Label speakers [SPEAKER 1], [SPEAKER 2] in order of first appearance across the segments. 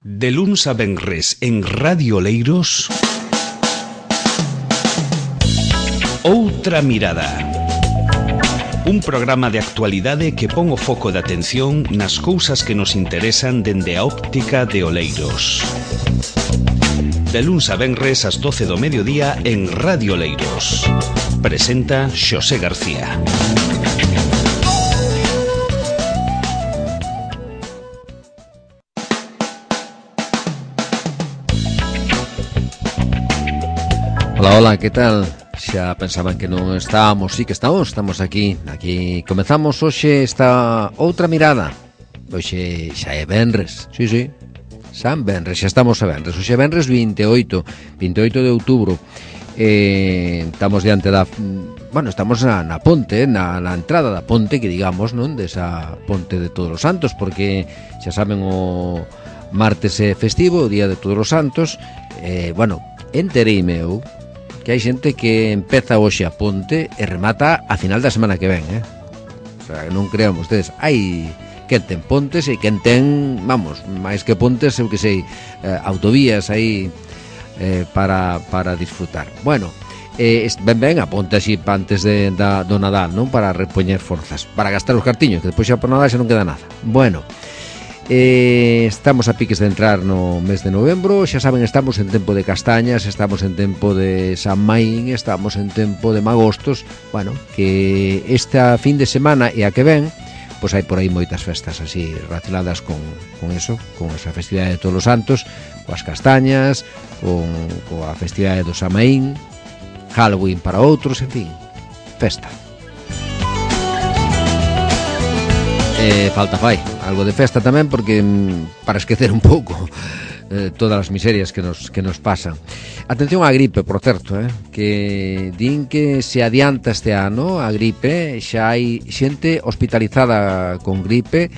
[SPEAKER 1] De luns a venres en Radio Oleiros, Outra Mirada. Un programa de actualidade que pon o foco de atención nas cousas que nos interesan dende a óptica de Oleiros. De luns a venres ás 12 do mediodía en Radio Oleiros. Presenta Xosé García.
[SPEAKER 2] Hola, hola, que tal? Xa pensaban que non estábamos, sí que estamos aquí comezamos hoxe esta outra mirada. Hoxe xa é venres, sí, San Venres, xa estamos a venres. Hoxe é venres 28 de outubro. Estamos diante da... Bueno, estamos na ponte, na entrada da ponte, que digamos, non? Desa ponte de Todos os Santos, porque xa saben, o martes é festivo, o día de Todos os Santos. Bueno, entereime eu que hai xente que empeza hoxe a ponte e remata a final da semana que ven, O sea, non crean vostedes, hai quen ten pontes e quen ten, vamos, máis que pontes, eu que sei, autovías aí para disfrutar. Bueno, ben a ponte así antes do Nadal, non? Para repoñer forzas, para gastar os cartiños, que despois xa por Nadal xa non queda nada. Bueno, estamos a piques de entrar no mes de novembro. Xa saben, estamos en tempo de castañas, estamos en tempo de San Maín, estamos en tempo de magostos. Bueno, que esta fin de semana e a que ven, pois hai por aí moitas festas así relacionadas con eso, con esa festividade de Todos os Santos, coas castañas, coa festividade do San Maín, Halloween para outros, en fin, festa. Falta fai algo de festa tamén, porque para esquecer un pouco todas as miserias que nos pasan. Atención á gripe, por certo, que din que se adianta este ano a gripe. Xa hai xente hospitalizada con gripe,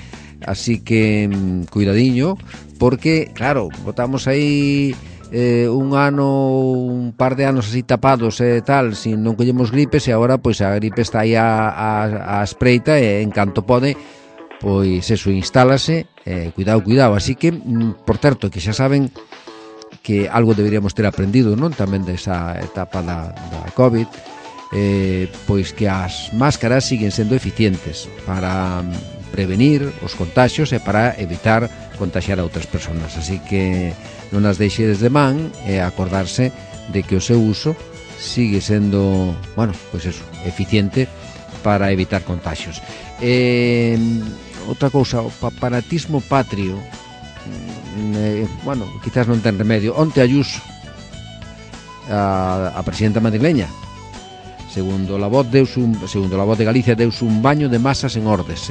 [SPEAKER 2] así que cuidadiño, porque claro, botamos aí un par de anos así tapados e tal, sin non collemos gripes, e agora pois a gripe está aí a espreita, e en canto pode pois eso, instálase. Cuidado, así que, por certo, que xa saben que algo deberíamos ter aprendido, non? Tamén desa etapa da COVID, pois que as máscaras siguen sendo eficientes para prevenir os contaxios e para evitar contaxiar a outras persoas, así que non as deixedes de man, e acordarse de que o seu uso sigue sendo, bueno, pois eso, eficiente para evitar contaxios. Outra cousa, o paparatismo patrio, bueno, quizás non ten remedio. Onte Ayuso, a presidenta madrileña, segundo la voz de Galicia, deuse un baño de masas en Ordes.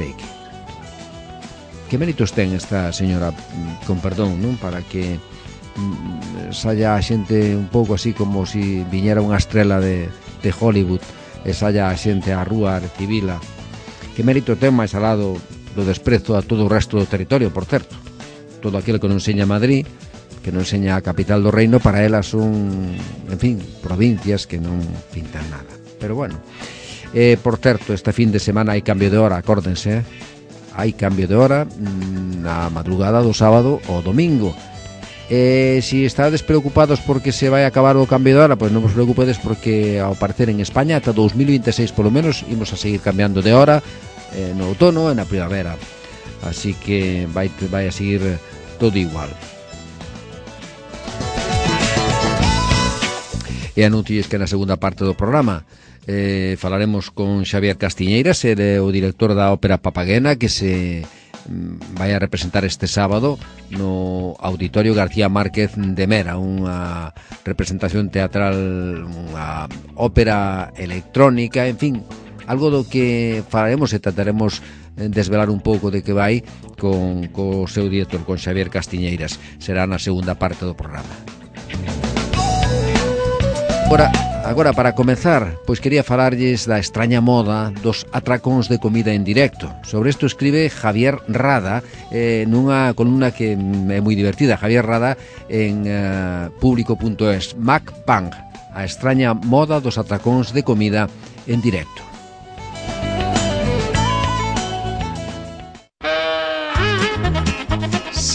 [SPEAKER 2] Que méritos ten esta señora, con perdón, non? Para que saia a xente un pouco así como si viñera unha estrela de Hollywood, e saia a xente á rúa a recibila. Que mérito ten máis alado do desprezo a todo o resto do territorio, por certo. Todo aquilo que non enseña Madrid, que non enseña a capital do reino, para elas son, en fin, provincias que non pintan nada. Pero bueno, por certo, este fin de semana hai cambio de hora, acórdense, hai cambio de hora na madrugada do sábado ao domingo. Si estades preocupados porque se vai acabar o cambio de hora, pois non vos preocupedes, porque ao parecer en España ata 2026 polo menos imos a seguir cambiando de hora, no outono e na primavera, así que vai a seguir todo igual. E anuncies que na segunda parte do programa falaremos con Xavier Castiñeiras, o director da Ópera Papaguena, que se vai a representar este sábado no Auditorio García Márquez de Mera, unha representación teatral, unha ópera electrónica, en fin, algo do que falaremos e trataremos desvelar un pouco de que vai co seu director, con Xavier Castiñeiras. Será na segunda parte do programa. Agora, para comezar, pois quería falarlles da extraña moda dos atracóns de comida en directo. Sobre isto escribe Javier Rada nunha columna que é moi divertida. Javier Rada en público.es. MacPang, a extraña moda dos atracóns de comida en directo.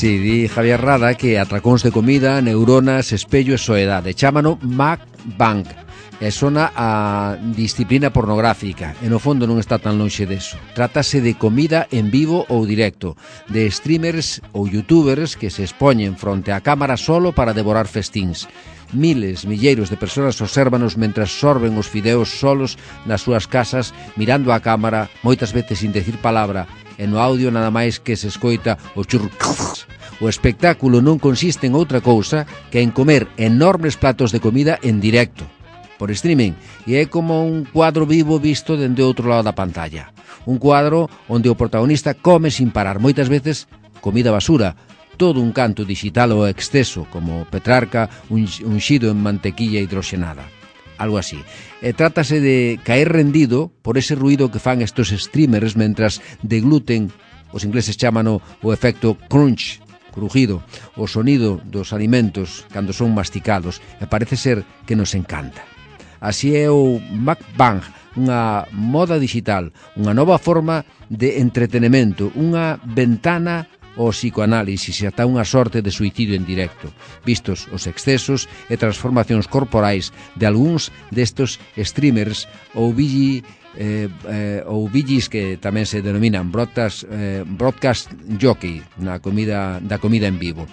[SPEAKER 2] Sí, di Javier Rada que atracóns de comida, neuronas, espello e soedade. Chámano mukbang. E sona a disciplina pornográfica e no fondo non está tan lonxe deso. Trátase de comida en vivo ou directo, de streamers ou youtubers que se expoñen fronte á cámara solo para devorar festíns. Miles, milleiros de persoas obsérvanos mentras sorben os fideos solos nas súas casas, mirando a cámara, moitas veces sin decir palabra, e no audio nada máis que se escoita o churrrr. O espectáculo non consiste en outra cousa que en comer enormes platos de comida en directo, por streaming, e é como un cuadro vivo visto dende outro lado da pantalla. Un cuadro onde o protagonista come sin parar, moitas veces comida basura, todo un canto digital ao exceso, como Petrarca unxido en mantequilla hidroxenada. Algo así. E trátase de caer rendido por ese ruido que fan estos streamers mentras degluten, os ingleses chámano o efecto crunch, crujido, o sonido dos alimentos cando son masticados, e parece ser que nos encanta. Así é o mukbang, unha moda digital, unha nova forma de entretenimento, unha ventana ao psicoanálisis e ata unha sorte de suicidio en directo, vistos os excesos e transformacións corporais de algúns destos streamers ou vigis que tamén se denominan broadcast jockey da comida en vivo.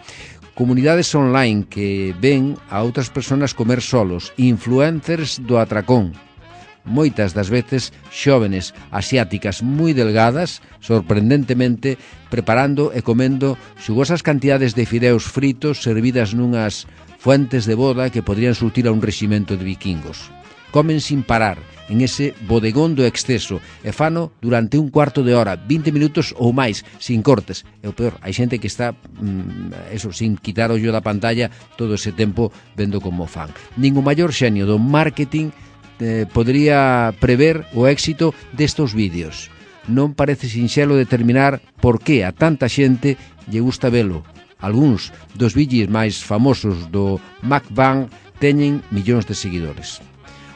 [SPEAKER 2] Comunidades online que ven a outras persoas comer solos, influencers do atracón, moitas das veces xóvenes asiáticas moi delgadas, sorprendentemente preparando e comendo xugosas cantidades de fideos fritos servidas nunhas fuentes de boda que podrían surtir a un reximento de vikingos. Comen sin parar en ese bodegón do exceso e fano durante un cuarto de hora, 20 minutos ou máis, sin cortes. E o peor, hai xente que está sin quitar o ollo da pantalla todo ese tempo vendo como fan. Nin o maior xenio do marketing podría prever o éxito destos vídeos. Non parece sinxelo determinar por que a tanta xente lle gusta velo. Algúns dos vídeos máis famosos do mukbang teñen millóns de seguidores.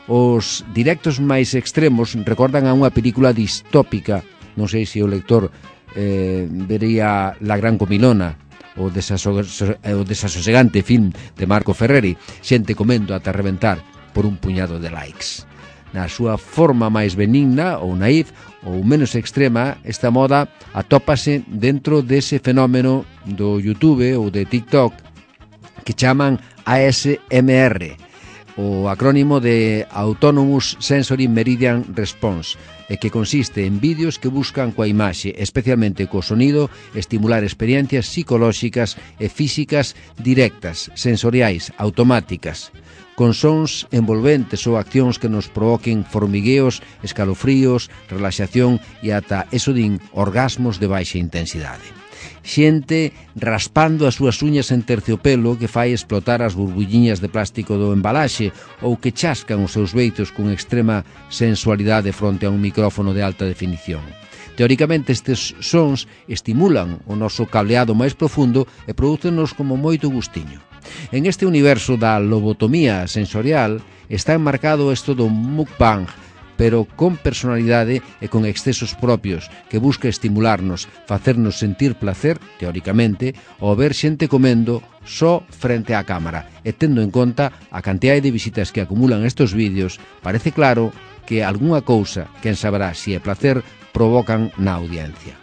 [SPEAKER 2] Os directos máis extremos recordan a unha película distópica, non sei se o lector vería La Gran Comilona, o desasosegante film de Marco Ferreri, xente comendo ata reventar por un puñado de likes. Na súa forma máis benigna ou naif ou menos extrema, esta moda atópase dentro dese fenómeno do YouTube ou de TikTok que chaman ASMR, o acrónimo de Autonomous Sensory Meridian Response, e que consiste en vídeos que buscan coa imaxe, especialmente co sonido, estimular experiencias psicolóxicas e físicas directas, sensoriais, automáticas, con sons envolventes ou accións que nos provoquen formigueos, escalofríos, relaxación e ata eso din orgasmos de baixa intensidade. Xente raspando as súas uñas en terciopelo que fai explotar as burbulliñas de plástico do embalaxe ou que chascan os seus beitos con extrema sensualidade fronte a un micrófono de alta definición. Teóricamente estes sons estimulan o noso cableado máis profundo e prodúcennos como moito gustiño. En este universo da lobotomía sensorial está enmarcado isto do mukbang, pero con personalidade e con excesos propios, que busca estimularnos, facernos sentir placer, teóricamente, ao ver xente comendo só frente á cámara. E tendo en conta a cantidade de visitas que acumulan estes vídeos, parece claro que algunha cousa, quen saberá se é placer, provocan na audiencia.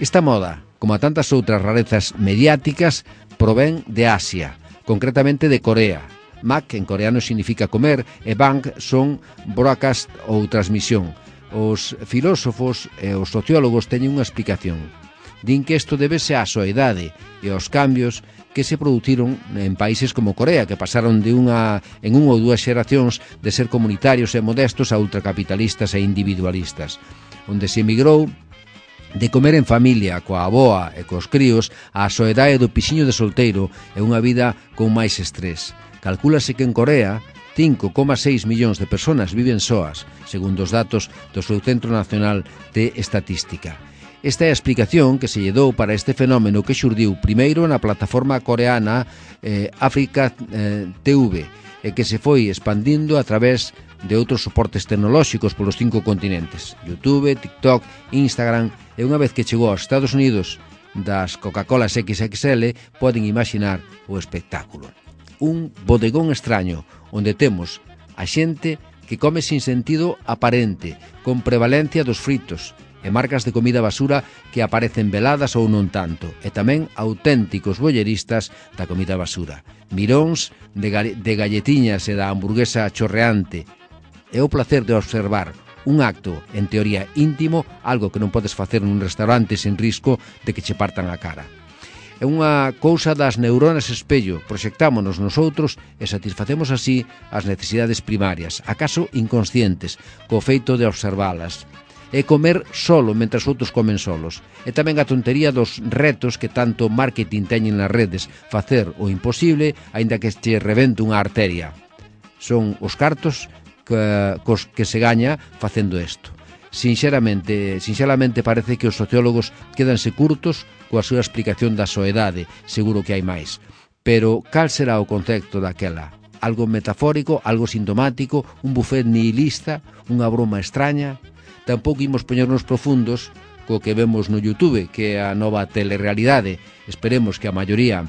[SPEAKER 2] Esta moda, como a tantas outras rarezas mediáticas, provén de Asia, concretamente de Corea. Mak en coreano significa comer e bang son broadcast ou transmisión. Os filósofos e os sociólogos teñen unha explicación. Din que isto debese á soidade e aos cambios que se produciron en países como Corea, que pasaron en unha ou dúas xeracións de ser comunitarios e modestos a ultracapitalistas e individualistas, onde se emigrou de comer en familia, coa avoa e cos críos, á soedade do pixiño de solteiro e unha vida con máis estrés. Calcúlase que en Corea 5,6 millóns de persoas viven soas, segundo os datos do seu Centro Nacional de Estatística. Esta é a explicación que se lle dou para este fenómeno que xurdiu primeiro na plataforma coreana Africa TV e que se foi expandindo a través de outros soportes tecnolóxicos polos 5 continentes, YouTube, TikTok, Instagram, e unha vez que chegou aos Estados Unidos das Coca-Colas XXL poden imaginar o espectáculo. Un bodegón extraño onde temos a xente que come sin sentido aparente, con prevalencia dos fritos, e marcas de comida basura que aparecen veladas ou non tanto, e tamén auténticos bolleristas da comida basura, miróns de galletiñas e da hamburguesa chorreante. É o placer de observar un acto, en teoría íntimo, algo que non podes facer nun restaurante sen risco de que che partan a cara. É unha cousa das neuronas espello, proxectámonos nosotros e satisfacemos así as necesidades primarias, acaso inconscientes, co feito de observalas. É comer solo mentras outros comen solos. E tamén a tontería dos retos que tanto marketing teñen nas redes, facer o imposible, aínda que che rebente unha arteria. Son os cartos que se gaña facendo isto. Sinxelamente parece que os sociólogos quedanse curtos coa súa explicación da soedade, seguro que hai máis. Pero cal será o concepto daquela? Algo metafórico, algo sintomático, un buffet nihilista, unha broma extraña? Tampouco imos poñernos profundos co que vemos no YouTube, que é a nova telerrealidade. Esperemos que a maioría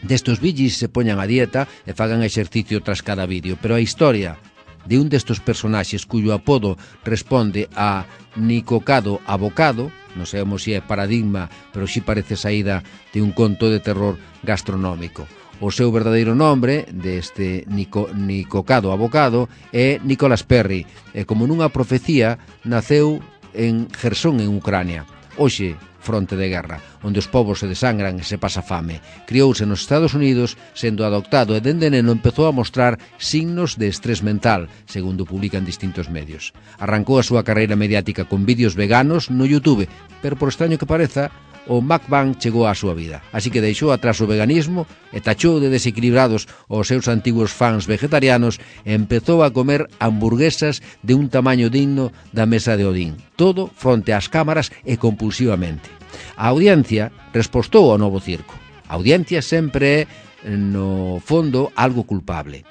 [SPEAKER 2] destos villis se poñan a dieta e fagan exercicio tras cada vídeo, pero a historia de un destos personaxes cuyo apodo responde a Nicocado Abocado, non sabemos se é paradigma, pero si parece saída de un conto de terror gastronómico. O seu verdadeiro nombre deste Nicocado Abocado é Nicolas Perry, e como nunha profecía naceu en Jersón, en Ucrania. Hoxe, fronte de guerra, onde os povos se desangran e se pasa fame. Criouse nos Estados Unidos, sendo adoptado e dende neno empezou a mostrar signos de estrés mental, segundo publican distintos medios. Arrancou a súa carreira mediática con vídeos veganos no YouTube, pero por extraño que pareza, o mukbang chegou á súa vida. Así que deixou atrás o veganismo e tachou de desequilibrados os seus antigos fans vegetarianos e empezou a comer hamburguesas de un tamaño digno da mesa de Odín. Todo fronte ás cámaras e compulsivamente. A audiencia respostou ao novo circo. A audiencia sempre é, no fondo, algo culpable.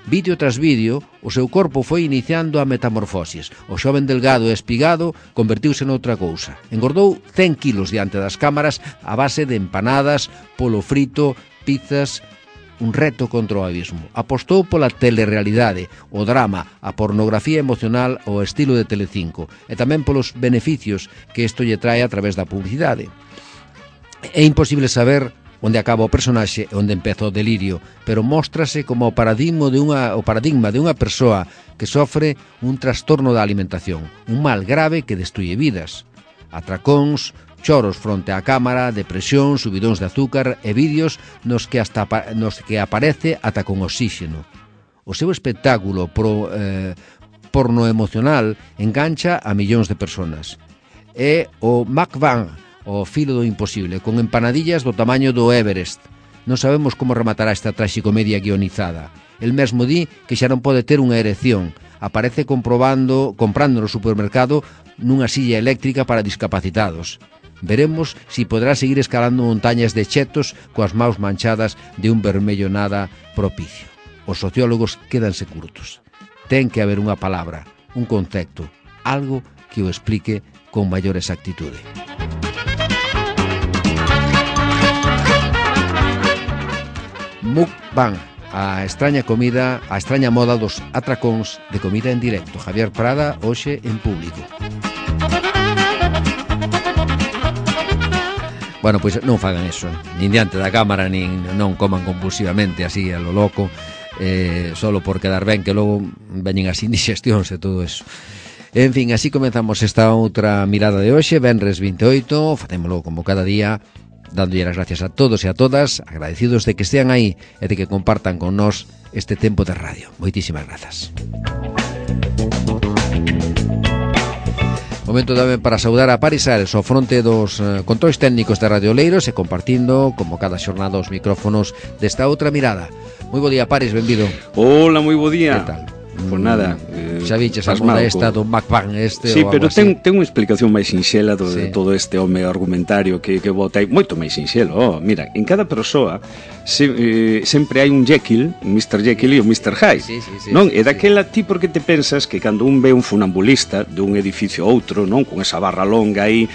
[SPEAKER 2] Vídeo tras vídeo, o seu corpo foi iniciando a metamorfosis. O xoven delgado e espigado convertiuse noutra cousa. Engordou 100 kilos diante das cámaras a base de empanadas, polo frito, pizzas, un reto contra o abismo. Apostou pola telerrealidade, o drama, a pornografía emocional ao estilo de Telecinco e tamén polos beneficios que isto lle trae a través da publicidade. É imposible saber onde acaba o personaxe e onde empeza o delirio, pero móstrase como o paradigma de unha persoa que sofre un trastorno da alimentación, un mal grave que destruye vidas. Atracóns, choros fronte á cámara, depresión, subidóns de azúcar e vídeos nos que aparece ata con oxígeno. O seu espectáculo porno emocional engancha a millóns de personas. É o mukbang, o filo do imposible, con empanadillas do tamaño do Everest. Non sabemos como rematará esta traxicomedia guionizada. El mesmo di que xa non pode ter unha erección. Aparece comprando no supermercado nunha silla eléctrica para discapacitados. Veremos si podrá seguir escalando montañas de chetos coas maus manchadas de un vermello nada propicio. Os sociólogos quédanse curtos. Ten que haber unha palabra, un concepto, algo que o explique con maior exactitude. Mukbang, a extraña comida, a extraña moda dos atracóns de comida en directo. Javier Prada, hoxe en Público. Bueno, pois non fagan eso, nin diante da cámara, nin non coman compulsivamente así a lo loco, solo por quedar ben, que logo veñen as indigestións e todo eso. En fin, así comenzamos esta outra mirada de hoxe, venres 28, facémolo como cada día, dándolle as gracias a todos e a todas, agradecidos de que estean aí e de que compartan con nós este tempo de radio. Moitísimas grazas. Momento tamén para saudar a Paris Ares ao fronte dos controis técnicos de Radio Oleiros e compartindo, como cada xornada, os micrófonos desta outra mirada. Moi bo día, Paris, benvido.
[SPEAKER 3] Hola, moi bo día.
[SPEAKER 2] Que tal?
[SPEAKER 3] Pois nada,
[SPEAKER 2] xa viches algunha esta do mukbang este
[SPEAKER 3] sí,
[SPEAKER 2] ou algo
[SPEAKER 3] pero
[SPEAKER 2] así?
[SPEAKER 3] ten unha explicación máis sinxela de todo este home argumentario que bota aí, moito máis sinxelo. Mira, en cada persoa sempre hai un Jekyll, un Mr. Jekyll e o Mr. Hyde. Non? E daquela ti porque te pensas que cando un ve un funambulista dun edificio a outro, non, con esa barra longa aí,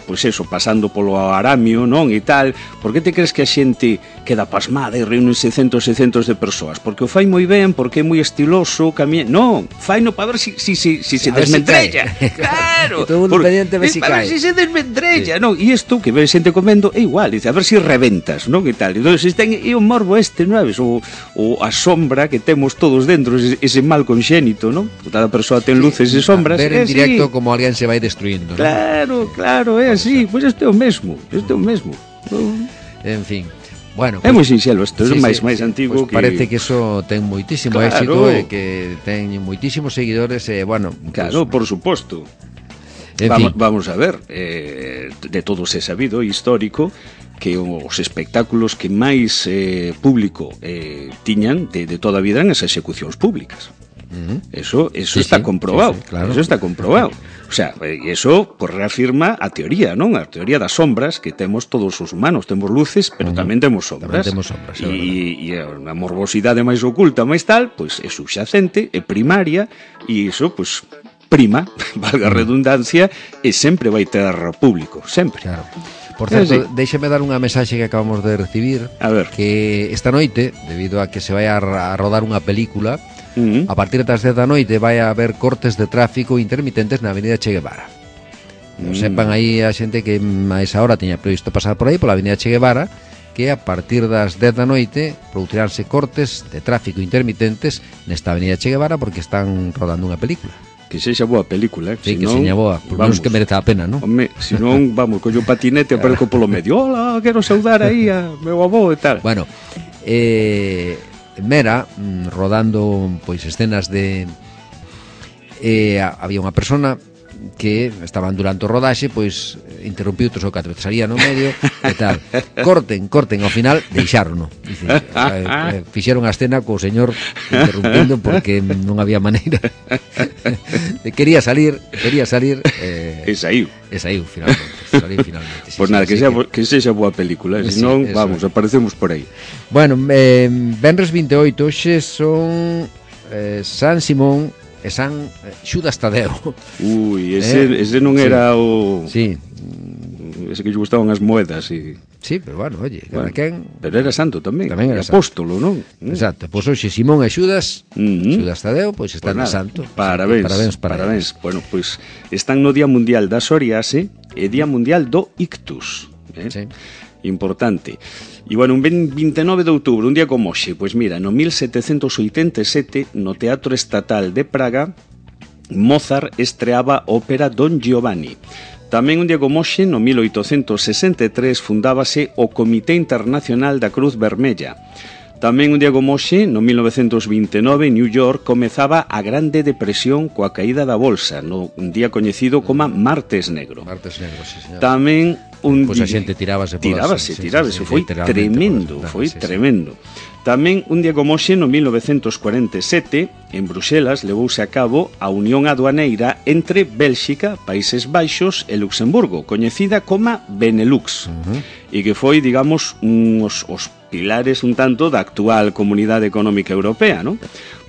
[SPEAKER 3] pois eso, pasando polo aramio, non, e tal, por que te crees que a xente queda pasmada e reúnense centos e centos de persoas? Porque o fai moi ben, porque é moi estiloso, non, faino para ver si se desmendrella. Claro.
[SPEAKER 2] E todo mundo pendiente de si
[SPEAKER 3] para
[SPEAKER 2] cae.
[SPEAKER 3] ver si se desmendrella, non? E isto que ve xente comendo é igual, dice, a ver si reventas, non, e tal. Entón, é o morbo este, non é? O a sombra que temos todos dentro, ese mal conxénito, non? Cada persoa ten luces e sombras.
[SPEAKER 2] Ver en directo como alguén se vai destruindo,
[SPEAKER 3] non? Claro, é así. Pois isto é o mesmo.
[SPEAKER 2] En fin. Bueno,
[SPEAKER 3] é moi sinxelo isto, é máis antigo
[SPEAKER 2] pues
[SPEAKER 3] que...
[SPEAKER 2] parece que eso ten moitísimo éxito e que ten moitísimos seguidores e, bueno...
[SPEAKER 3] Claro, por suposto. Vamos a ver, de todos é sabido, histórico, que os espectáculos que máis público tiñan de toda a vida eran as execucións públicas. Eso está comprobado.
[SPEAKER 2] Claro.
[SPEAKER 3] Eso está comprobado. O sea, eso pues reafirma a teoría, non? A teoría das sombras que temos todos os humanos. Temos luces, pero tamén temos sombras. E a morbosidade máis oculta, máis tal, pois é subxacente, é primaria, e iso, pois, prima, valga a redundancia, e sempre vai ter público, sempre.
[SPEAKER 2] Claro. Por certo, déixeme dar unha mensaxe que acabamos de recibir,
[SPEAKER 3] a ver,
[SPEAKER 2] que esta noite, debido a que se vai a rodar unha película, a partir das 10 da noite vai a haber cortes de tráfico intermitentes na avenida Che Guevara. Sepan aí a xente que a esa hora tiña previsto pasar por aí pola avenida Che Guevara, que a partir das 10 da noite produciránse cortes de tráfico intermitentes nesta avenida Che Guevara porque están rodando unha película.
[SPEAKER 3] Que sexa boa película,
[SPEAKER 2] Sí, que sexa boa, por menos que mereza a pena, non?
[SPEAKER 3] Home, se non, vamos, collo patinete e aparezco polo medio. Hola, quero saudar aí a meu avó e tal.
[SPEAKER 2] Bueno, Mera, rodando pois escenas de... había unha persona que estaban durante o rodaxe, pois interrompiu 3 ou 4 veces, salía no medio e tal. Corten, ao final deixárono. Fixeron a escena co señor interrumpindo porque non había maneira. Quería salir
[SPEAKER 3] e saiu
[SPEAKER 2] finalmente.
[SPEAKER 3] Pois nada, que sexa boa película, senón, vamos, aparecemos por aí.
[SPEAKER 2] Bueno, venres 28, hoxe son San Simón e San Xudas Tadeo.
[SPEAKER 3] Ui, ese non era o...
[SPEAKER 2] Sí.
[SPEAKER 3] Ese que lle gustaban as moedas e...
[SPEAKER 2] Sí, pero bueno, oye, cada quen...
[SPEAKER 3] Pero era santo tamén
[SPEAKER 2] era
[SPEAKER 3] apóstolo, non?
[SPEAKER 2] Exacto, pois hoxe Simón e Xudas, Xudas Tadeo, pois están de santo.
[SPEAKER 3] Parabéns. Bueno, pois están no Día Mundial da Psoriase e Día Mundial do Ictus.
[SPEAKER 2] Sí.
[SPEAKER 3] Importante. E, bueno, un 29 de outubro, un día como hoxe, pois mira, no 1787, no Teatro Estatal de Praga, Mozart estreaba a ópera Don Giovanni. Tamén un día como hoxe, no 1863, fundábase o Comité Internacional da Cruz Vermella. Tamén un día como hoxe, no 1929, New York comezaba a Grande Depresión coa caída da bolsa, no un día coñecido como Martes Negro.
[SPEAKER 2] Martes Negro, sí, señor.
[SPEAKER 3] Tamén
[SPEAKER 2] pois a xente tirábase,
[SPEAKER 3] foi tremendo, tremendo. Tamén un día como hoxe, no 1947, en Bruxelas levouse a cabo a unión aduaneira entre Bélxica, Países Baixos e Luxemburgo, coñecida como Benelux, e que foi, digamos, os pilares un tanto da actual Comunidade Económica Europea, non?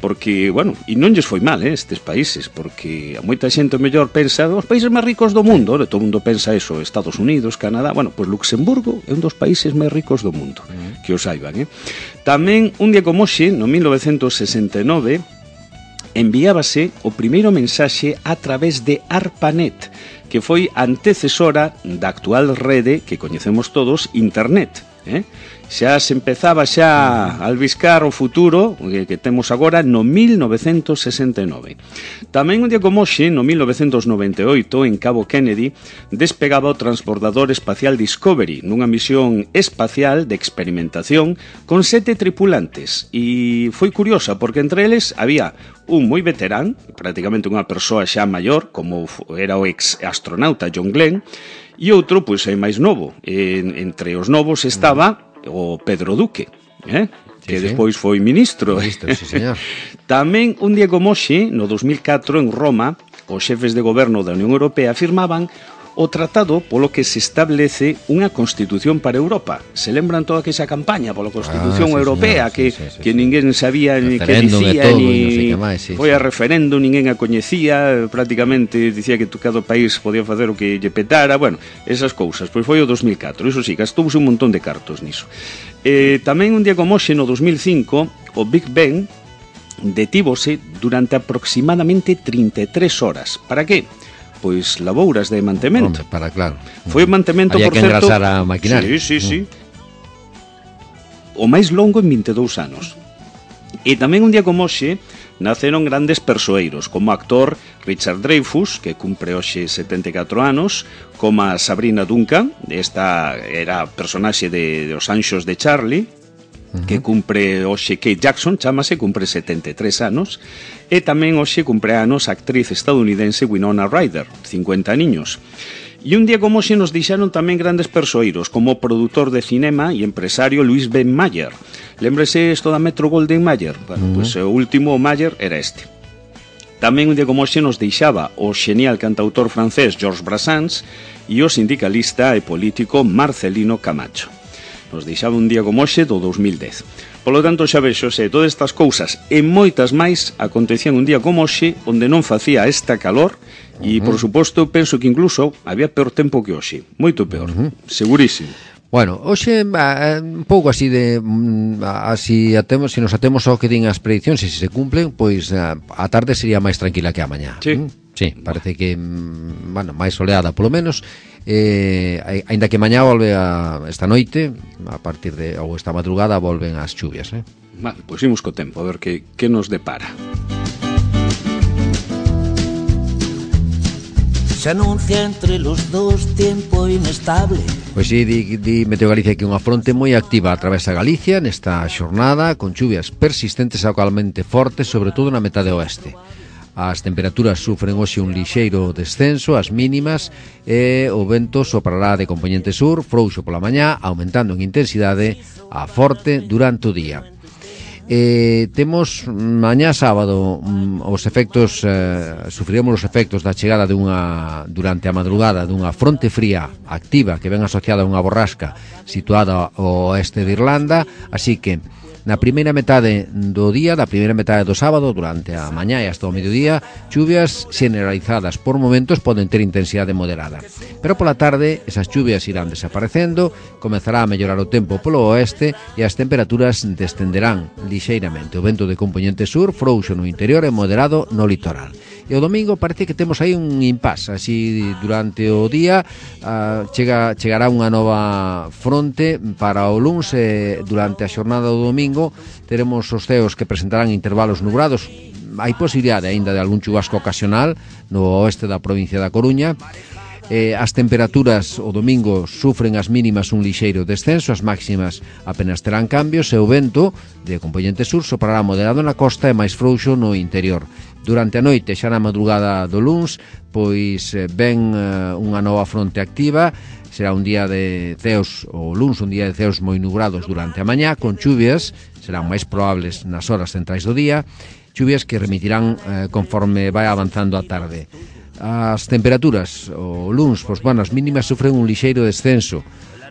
[SPEAKER 3] Porque, bueno, e non lles foi mal, estes países, porque a moita xente mellor pensa os países máis ricos do mundo, todo o mundo pensa eso, Estados Unidos, Canadá, bueno, pois Luxemburgo é un dos países máis ricos do mundo, que o saiban, Tamén, un día como hoxe, no 1969, enviábase o primeiro mensaxe a través de ARPANET, que foi antecesora da actual rede que coñecemos todos, Internet, xa se empezaba xa a albiscar o futuro que temos agora no 1969. Tamén un día como hoxe, no 1998, en Cabo Kennedy, despegaba o transbordador espacial Discovery nunha misión espacial de experimentación con 7 tripulantes, e foi curiosa porque entre eles había un moi veterán, prácticamente unha persoa xa maior, como era o ex astronauta John Glenn, e outro, pois, é máis novo. Entre os novos estaba o Pedro Duque, que despois foi ministro.
[SPEAKER 2] Sí, señor.
[SPEAKER 3] Tamén, un día como hoxe, no 2004, en Roma, os xefes de goberno da Unión Europea firmaban o tratado polo que se establece unha Constitución para Europa. Se lembran toda aquesa campaña pola Constitución Europea,
[SPEAKER 2] señor,
[SPEAKER 3] que ninguén sabía ni que dicía, foi a referéndum, ninguén a coñecía, prácticamente dicía que cada país podía facer o que lle petara, bueno, esas cousas. Pois foi o 2004, iso sí, gastouse un montón de cartos niso. Tamén un día como hoxe, no 2005, o Big Ben detívose durante aproximadamente 33 horas. Para que? Pois labouras de mantemento.
[SPEAKER 2] Hombre, para, claro.
[SPEAKER 3] Foi o mantemento,
[SPEAKER 2] había
[SPEAKER 3] por
[SPEAKER 2] que
[SPEAKER 3] certo...
[SPEAKER 2] engrasar a maquinaria.
[SPEAKER 3] Sí. O máis longo en 22 anos. E tamén un día como hoxe naceron grandes persoeiros, como o actor Richard Dreyfuss, que cumpre hoxe 74 anos, como a Sabrina Duncan, esta era personaxe de Os Anxos de Charlie, que cumpre hoxe Kate Jackson, chamase, cumpre 73 anos, e tamén hoxe cumpre anos a actriz estadounidense Winona Ryder, 50 niños. E un día como hoxe nos deixaron tamén grandes persoeiros, como o produtor de cinema e empresario Louis B. Mayer. Lembrese isto da Metro Goldwyn Mayer? Bueno, pois o último Mayer era este. Tamén un día como hoxe nos deixaba o xenial cantautor francés Georges Brassens e o sindicalista e político Marcelino Camacho. Nos deixaba un día como hoxe do 2010. Polo tanto, xa vexo, todas estas cousas e moitas máis acontecían un día como hoxe, onde non facía esta calor e, por suposto, penso que incluso había peor tempo que hoxe. Moito peor, segurísimo.
[SPEAKER 2] Bueno, hoxe un pouco así de así atemos, se nos atemos ao que din as prediccións e se se cumplen, pois a tarde sería máis tranquila que a mañá. Sí, parece que máis soleada polo menos. Aínda que mañá volve esta noite, a partir de ou esta madrugada volven as chuvias,
[SPEAKER 3] Vale, pois imos co tempo, a ver que nos depara.
[SPEAKER 4] Se anuncia entre los dos tiempo inestable.
[SPEAKER 2] Pois si, di Meteo Galicia que unha fronte moi activa atravesa Galicia nesta xornada, con chuvias persistentes e localmente fortes, sobre todo na metade oeste. As temperaturas sufren hoxe un lixeiro descenso, as mínimas, e o vento soprará de compoñente sur, frouxo pola mañá, aumentando en intensidade a forte durante o día. Temos mañá sábado os efectos, sufriremos os efectos da chegada durante a madrugada dunha fronte fría activa que ven asociada a unha borrasca situada ao oeste de Irlanda, así que na primeira metade do día, da primeira metade do sábado, durante a mañá e hasta o mediodía, chuvias generalizadas por momentos poden ter intensidade moderada. Pero pola tarde, esas chuvias irán desaparecendo, comezará a mellorar o tempo polo oeste e as temperaturas descenderán lixeiramente. O vento de compoñente sur frouxo no interior e moderado no litoral. E o domingo parece que temos aí un impás, así durante o día chegará unha nova fronte para o luns e durante a xornada do domingo teremos os ceos que presentarán intervalos nubrados. Hai posibilidade aínda de algún chubasco ocasional no oeste da provincia da Coruña. As temperaturas o domingo sufren as mínimas un lixeiro descenso, as máximas apenas terán cambios e o vento de compoñente sur soprará moderado na costa e máis frouxo no interior. Durante a noite, xa na madrugada do luns, pois ven unha nova fronte activa, será un día de ceos, o luns un día de ceos moi nubrados durante a mañá, con chuvias, serán máis probables nas horas centrais do día, chuvias que remitirán conforme vai avanzando a tarde. As temperaturas, o luns, pois, bueno, as mínimas sufren un lixeiro descenso,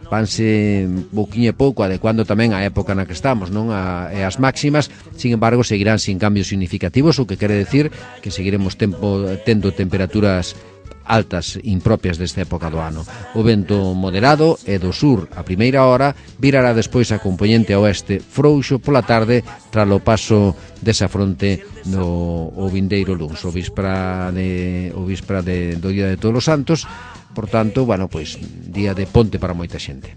[SPEAKER 2] vanse pouquiño e pouco adecuando tamén a época na que estamos, non? E as máximas, sin embargo, seguirán sin cambios significativos, o que quere decir que seguiremos tendo temperaturas altas impropias desta época do ano. O vento moderado e do sur a primeira hora virará despois a compoñente oeste frouxo pola tarde tras o paso desa fronte o vindeiro luns, o víspera do Día de Todos os Santos. Por tanto, bueno, pois día de ponte para moita xente.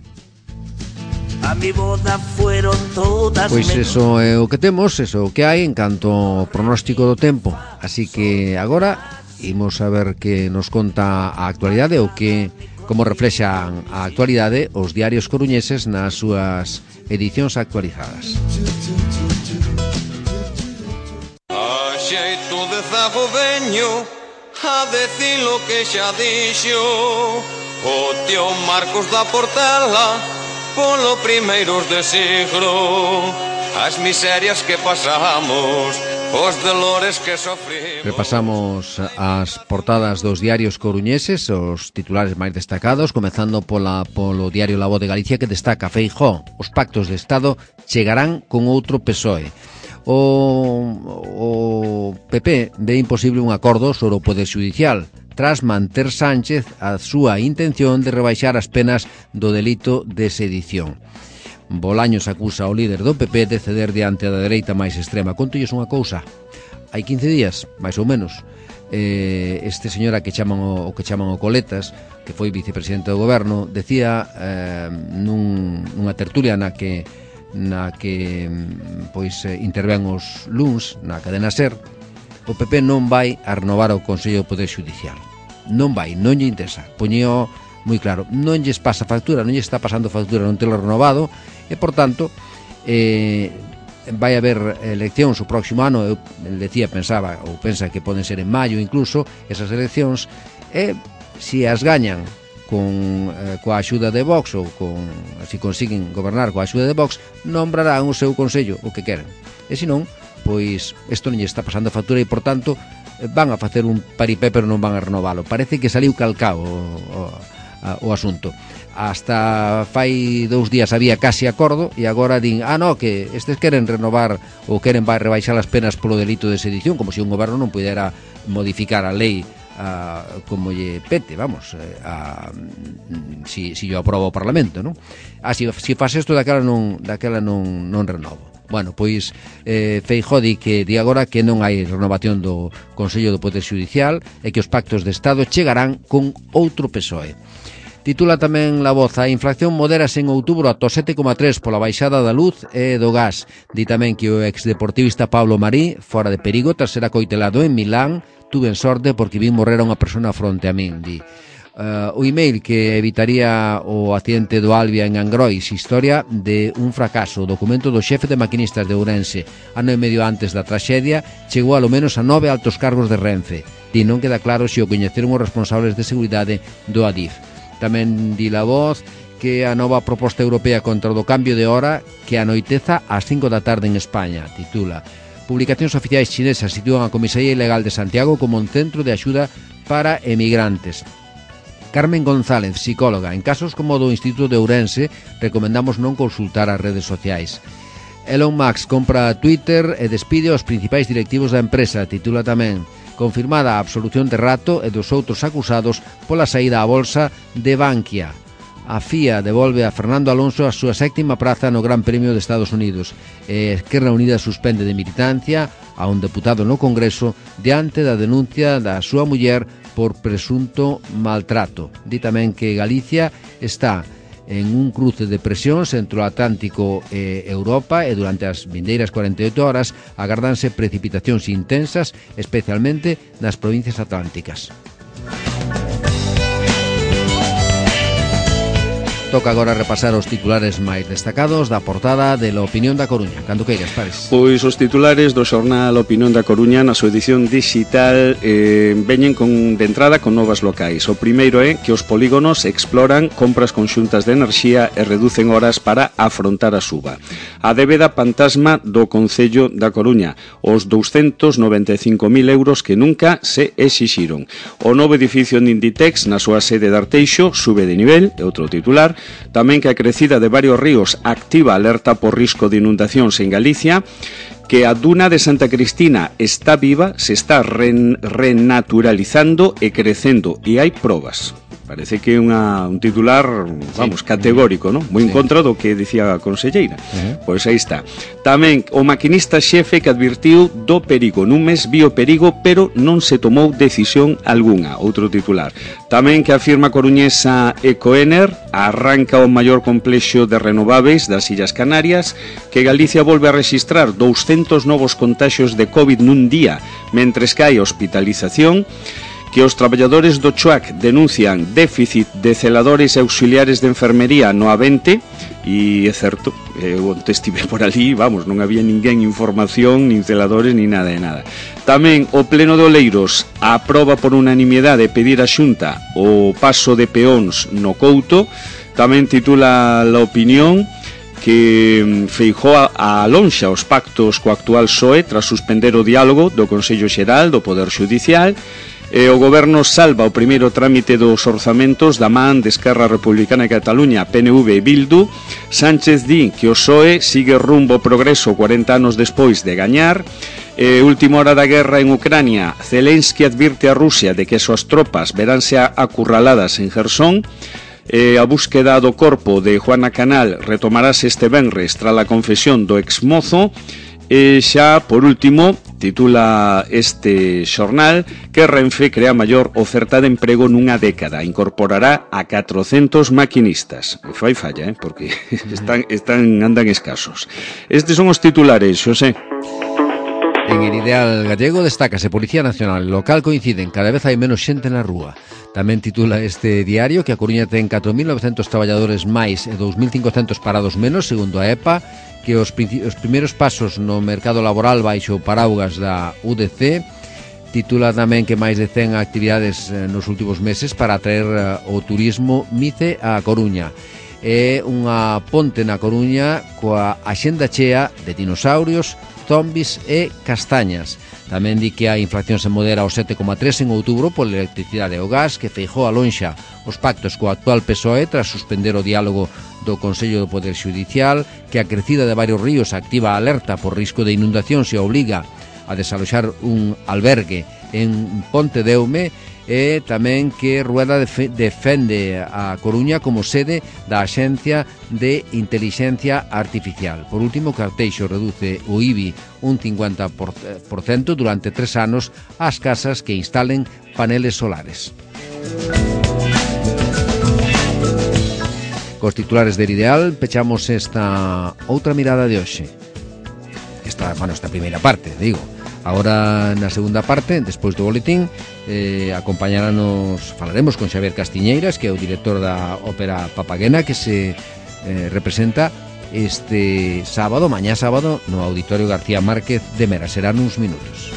[SPEAKER 4] A mi boda fueron todas.
[SPEAKER 2] Pois eso é o que temos, eso é o que hai en canto ao pronóstico do tempo. Así que agora imos a ver que nos conta a actualidade ou como reflexan a actualidade os diarios coruñeses nas súas edicións actualizadas.
[SPEAKER 5] A xeito de zago veño a decir lo que xa dixo o tío Marcos da Portela polo primeiros de siglo. As miserias que pasamos os dolores que sofrimos.
[SPEAKER 2] Repasamos as portadas dos diarios coruñeses, os titulares máis destacados, comezando polo diario La Voz de Galicia, que destaca: Feijóo, os pactos de Estado chegarán con outro PSOE. O PP ve imposible un acordo sobre o Poder Xudicial, tras manter Sánchez a súa intención de rebaixar as penas do delito de sedición. Bolaños acusa ao líder do PP de ceder diante da dereita máis extrema. Contolles unha cousa: hai 15 días, máis ou menos, este señora que chaman o Coletas, que foi vicepresidente do goberno, decía nunha tertulia na que intervén os luns na cadena SER, o PP non vai a renovar o Consello do Poder Xudicial. Non vai, non lle interesa. Poñío moi claro, non lles pasa factura, non lle está pasando factura non telo renovado, e, por tanto, vai haber eleccións o próximo ano. Eu pensa que poden ser en maio incluso esas eleccións, e se as gañan coa axuda de Vox, ou se consiguen gobernar coa axuda de Vox, nombrarán o seu consello o que queren. E se non, pois isto non lle está pasando factura, e, por tanto, van a facer un paripé, pero non van a renovalo. Parece que saliu calcao o asunto. Hasta fai 2 días había casi acordo, e agora din, que estes queren renovar ou queren rebaixar as penas polo delito de sedición, como se un goberno non pudera modificar a lei como lle pete, vamos, si yo aprobo o Parlamento, non? Si faz isto, daquela non renovo. Bueno, pois Feijóo di agora que non hai renovación do Consello do Poder Xudicial e que os pactos de Estado chegarán con outro PSOE. Titula tamén La Voz: a inflación modérase en outubro ata 7,3 pola baixada da luz e do gas. Di tamén que o exdeportivista Pablo Marí, fora de perigo tras ser acoitelado en Milán. Tuve sorte porque vin morrer a unha persona fronte a min, di. O email que evitaría o accidente do Albia en Angrois, historia de un fracaso. O documento do xefe de maquinistas de Ourense, ano e medio antes da traxedia, chegou alo menos a 9 altos cargos de Renfe. Di non queda claro se o coñeceron os responsables de seguridade do Adif. Tamén di La Voz que a nova proposta europea contra o do cambio de hora que anoiteza ás 5 da tarde en España. Titula: publicacións oficiais chinesas sitúan a Comisaría Ilegal de Santiago como un centro de axuda para emigrantes. Carmen González, psicóloga: en casos como o do Instituto de Ourense recomendamos non consultar as redes sociais. Elon Musk compra Twitter e despide os principais directivos da empresa. Titula tamén: confirmada a absolución de Rato e dos outros acusados pola saída á bolsa de Bankia. A FIA devolve a Fernando Alonso a súa 7ª praza no Gran Premio de Estados Unidos. Esquerra Unida suspende de militancia a un deputado no Congreso diante da denuncia da súa muller por presunto maltrato. Di tamén que Galicia está en un cruce de presións entre o Atlántico e Europa, e durante as vindeiras 48 horas agardanse precipitacións intensas, especialmente nas provincias atlánticas. Toca agora repasar os titulares máis destacados da portada de La Opinión da Coruña. Cando queiras, Pares.
[SPEAKER 3] Pois os titulares do xornal Opinión da Coruña na súa edición digital veñen de entrada con novas locais. O primeiro é que os polígonos exploran compras conxuntas de enerxía e reducen horas para afrontar a suba. A débeda fantasma do Concello da Coruña, os 295.000 euros que nunca se exixiron. O novo edificio de Inditex na súa sede de Arteixo sube de nivel, é outro titular. Tamén que a crecida de varios ríos activa alerta por risco de inundacións en Galicia, que a duna de Santa Cristina está viva, se está renaturalizando e crecendo, e hai probas. Parece que é un titular, vamos, categórico, non? Moi en contra do que dicía a conselleira. Pois aí está. Tamén o maquinista xefe que advirtiu do perigo. Nun mes vio perigo, pero non se tomou decisión algunha. Outro titular. Tamén que a firma coruñesa Ecoener arranca o maior complexo de renováveis das Illas Canarias, que Galicia volve a registrar 200 novos contaxios de COVID nun día, mentres que hai hospitalización, que os traballadores do CHUAC denuncian déficit de celadores e auxiliares de enfermería no A20, e é certo, eu estive por ali, vamos, non había ninguén información, nin celadores, nin nada de nada. Tamén o Pleno de Oleiros aproba por unanimidade pedir a Xunta o paso de peóns no Couto. Tamén titula La Opinión que Feijóo alonxa os pactos co actual PSOE tras suspender o diálogo do Consello Xeral do Poder Xudicial. O Goberno salva o primeiro trámite dos orzamentos da man de Esquerra Republicana de Cataluña, PNV e Bildu. Sánchez di que o PSOE sigue rumbo ao progreso 40 anos despois de gañar. Última hora da guerra en Ucrania, Zelensky advirte a Rusia de que as súas tropas veránse acurraladas en Jersón. A búsqueda do corpo de Juana Canal retomarase este venres tras a confesión do exmozo. E xa, por último, titula este xornal que Renfe crea maior oferta de emprego nunha década, incorporará a 400 maquinistas. Fai falla, porque andan escasos. Estes son os titulares, Xosé.
[SPEAKER 2] En el ideal gallego destácase Policía Nacional e local coinciden, cada vez hai menos xente na rúa. Tamén titula este diario que a Coruña ten 4.900 traballadores máis e 2.500 parados menos, segundo a EPA, que os primeiros pasos no mercado laboral baixo o paraugas da UDC. Titula tamén que máis de 100 actividades nos últimos meses para atraer o turismo MICE a Coruña. É unha ponte na Coruña coa axenda chea de dinosaurios, zombies e castañas. Tamén di que a inflación se modera ao 7,3 en outubro pola electricidade e o gas, que Feijóo alonxa os pactos co actual PSOE tras suspender o diálogo do Consello do Poder Xudicial, que a crecida de varios ríos activa a alerta por risco de inundación se obliga a desaloxar un albergue en Ponte de Eume, e tamén que Rueda defende a Coruña como sede da Axencia de Intelixencia Artificial. Por último, Carteixo reduce o IBI un 50% durante 3 anos ás casas que instalen paneles solares. Cos titulares del Ideal pechamos esta outra mirada de hoxe. Esta primeira parte, digo. Agora, na segunda parte, despois do boletín, falaremos con Xavier Castiñeiras, que é o director da ópera Papaguena, que se representa este sábado, mañá sábado, no Auditorio García Márquez de Mera. Serán uns minutos.